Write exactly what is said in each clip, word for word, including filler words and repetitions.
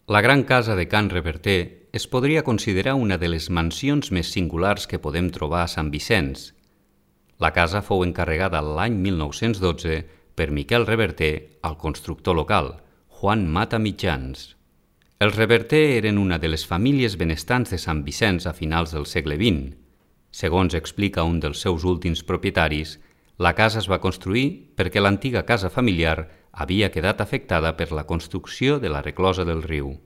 La gran casa de Can Reverter es podria considerar una de les mansions més singulars que podem trobar a Sant Vicenç. La casa fou encarregada l'any mil nou-cents dotze per Miquel Reverter al constructor local, Juan Mata Mitjans. Els Reverter eren una de les famílies benestants de Sant Vicenç a finals del segle vint. Segons explica un dels seus últims propietaris, la casa es va construir perquè l'antiga casa familiar havia quedat afectada per la construcció de la reclosa del riu.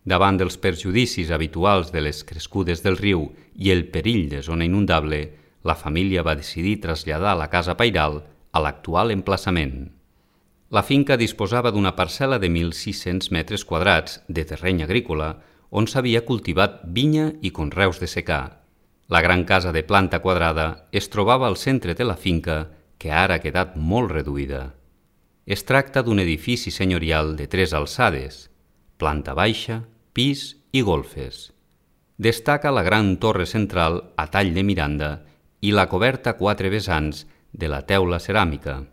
Davant dels perjudicis habituals de les crescudes del riu i el perill de zona inundable, la família va decidir traslladar la casa pairal a l'actual emplaçament. La finca disposava d'una parcel·la de mil sis-cents metres quadrats de terreny agrícola on s'havia cultivat vinya i conreus de secà. La gran casa de planta quadrada es trobava al centre de la finca, que ara ha quedat molt reduïda. Es tracta d'un edifici senyorial de tres alçades, planta baixa, pis i golfes. Destaca la gran torre central a tall de miranda i la coberta a quatre vessants de la teula ceràmica.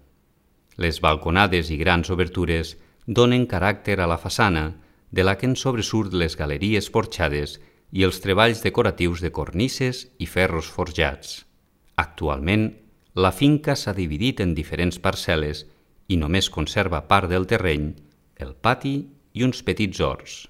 Les balconades i grans obertures donen caràcter a la façana, de la que en sobresurt les galeries porxades i els treballs decoratius de cornises i ferros forjats. Actualment, la finca s'ha dividit en diferents parcel·les i només conserva part del terreny, el pati i uns petits horts.